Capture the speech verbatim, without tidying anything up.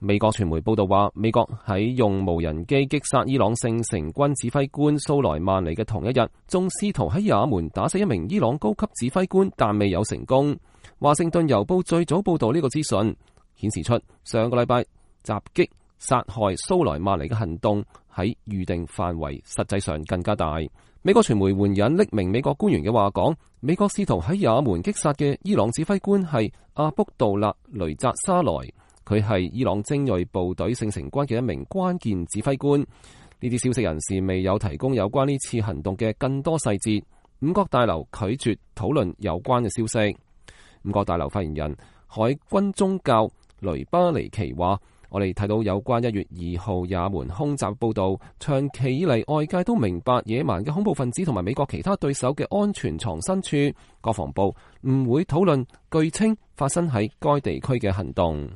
美國傳媒報道話，美國喺用無人機擊殺伊朗聖城軍指揮官蘇萊曼尼嘅同一日，仲試圖喺也門打死一名伊朗高級指揮官，但未有成功。華盛頓郵報最早報道呢個資訊，顯示出上個禮拜襲擊殺害蘇萊曼尼嘅行動喺預定範圍實際上更加大。美國傳媒援引匿名美國官員嘅話講，美國試圖喺也門擊殺嘅伊朗指揮官係阿卜杜勒雷扎沙萊，佢係伊朗精銳部隊聖城軍嘅一名關鍵指揮官。呢啲消息人士未有提供有關呢次行動嘅更多細節。五角大樓拒絕討論有關嘅消息。五角大樓發言人海軍宗教雷巴尼奇話，我哋睇到有關一月二號也門空襲報道，長期以嚟外界都明白野蠻嘅恐怖分子同埋美國其他對手嘅安全藏身處，國防部唔會討論據稱發生喺該地區嘅行動。